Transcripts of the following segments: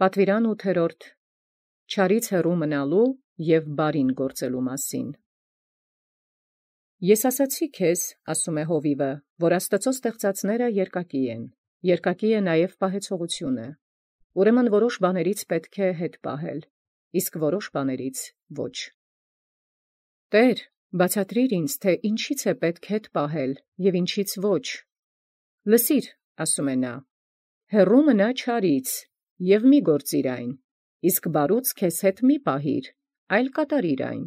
Պատվիրան 8. Չարից հեռու մնալու և բարին գործելու մասին։ Ես ասացի քեզ, ասում է հովիվը, որ Աստծո ստեղծածները երկակի են, երկակի է նաև պահեցողությունը։ Ուրեմն որոշ բաներից պետք է հետ պահել, իսկ որոշ բաներից ոչ։ Տեր, բացատրիր ինձ, թե ինչից է պետք հետ պահել և ինչից ոչ։ Լսիր, ասում է նա, հեռու մնա չարից և մի գործիր այն, իսկ բարուց քեզ հետ մի պահիր, այլ կատարիր այն,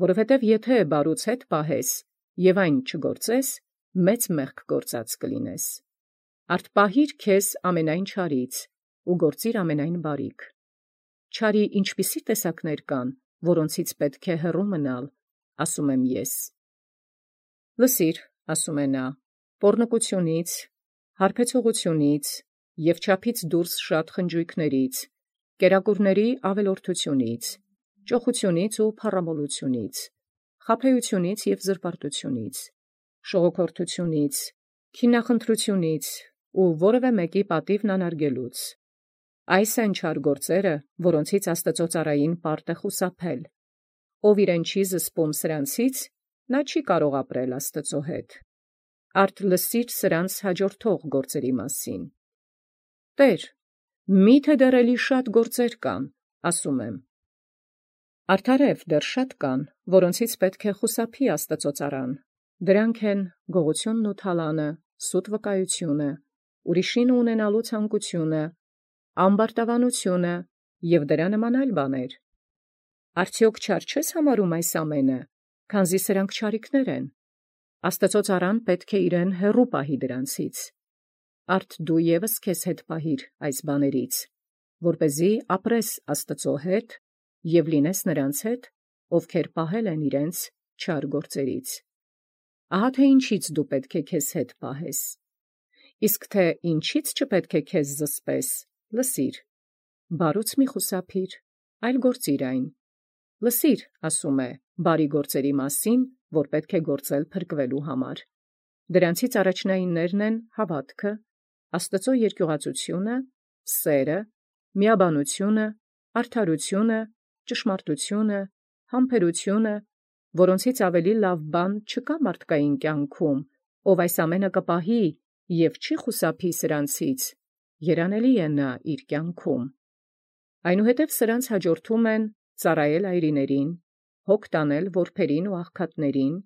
որովհետև եթե բարուց հետ պահես և այն չգործես, մեծ մեղք գործած կլինես։ Արդ պահիր քեզ ամենայն չարից ու գործիր ամենայն բարիք։ Չարի ինչպիսի տեսակներ կան, որոնցից պետք է հեռու մնալ, ասում եմ ես։ Լսիր, ասում է նա, պոռնկությունից, հարբեցողությունից և չափից դուրս շատ խնջույքներից, կերակուրների ավելորդությունից, ճոխությունից ու փառամոլությունից, խաբեությունից և զրպարտությունից, շողոքորթությունից, քինախնդրությունից ու որևէ մեկի պատիվն անարգելուց։ Այս են չար գործերը, որոնցից Աստծո ծառային պարտ է խուսափել։ Ով իրեն չի զսպում սրանցից, նա չի կարող ապրել Աստծո հետ։ Արդ լսիր սրանց հաջորդող գործերի մասին։ Տեր, միթե դեռ էլի շատ գործեր կան, ասում եմ։ Արդարև դեռ շատ կան, որոնցից պետք է խուսափի Աստծո ծառան։ Դրանք են գողությունն ու թալանը, սուտ վկայությունը, ուրիշին ունենալու ցանկությունը, ամբարտավանությունը և դրա նման այլ բաներ։ Արդյոք չար չես համարում այս ամենը, քանզի սրանք չարիքներ են։ Աստծո ծառան պետք է իրեն հեռու պահի դրանցից։ Արդ դու ևս քեզ հետ պահիր այս բաներից, որպեսզի ապրես Աստծո հետ և լինես նրանց հետ, ովքեր պահել են իրենց չար գործերից։ Ահա թե ինչից դու պետք է քեզ հետ պահես։ Իսկ թե ինչից չպետք է քեզ զսպես, լսիր, բարուց մի խուսափիր, այլ գործիր այն։ Լսիր, ասում է, բարի գործերի մասին, որ պետք է գործել փրկվելու համար։ Դրանցից առաջնայիններն են հավատքը, Աստծո երկյուղածությունը, սերը, միաբանությունը, արդարությունը, ճշմարտությունը, համբերությունը, որոնցից ավելի լավ բան չկա մարդկային կյանքում, ով այս ամենը կպահի և չի խուսափի սրանցից, երանելի է նա իր կյանքում։ Այնուհետև սրանց հաջորդում են ծառայել այրիներին, հոգ տանել որբերին ու աղքատներին,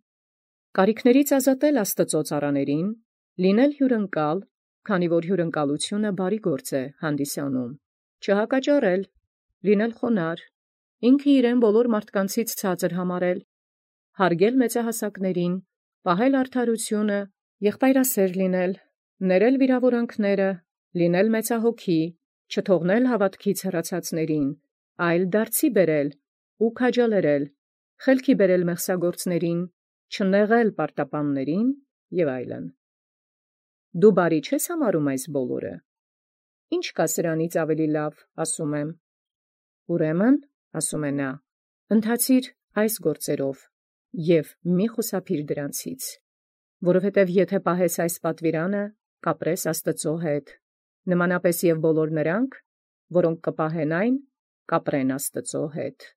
կարիքներից ազատել Աստծո ծառաներին, լինել հյուրընկալ, քանի որ հյուրընկալությունը բարի գործ է հանդիսանում, չհակաճառել, լինել խոնարհ, ինքը իրեն բոլոր մարդկանցից ցածր համարել, հարգել մեծահասակներին, պահել արդարությունը, եղբայրասեր լինել, ներել վիրավորանքները, լինել մեծահոգի, չթողնել հավատքից հեռացածներին, այլ դարձի բերել ու քաջալերել, խելքի բերել մեղսագործներին, չնեղել պարտապաններին և այլն։ Դու բարի չես համարում այս բոլորը։ Ինչ կա սրանից ավելի լավ, ասում եմ։ Ուրեմն, ասում է նա, ընթացիր այս գործերով և մի խուսափիր դրանցից, որովհետև եթե պահես այս պատվիրանը, կապրես Աստծո հետ, նմանապես և բոլոր նրանք, որոնք կպահեն այն, կապրեն Աստծո հետ։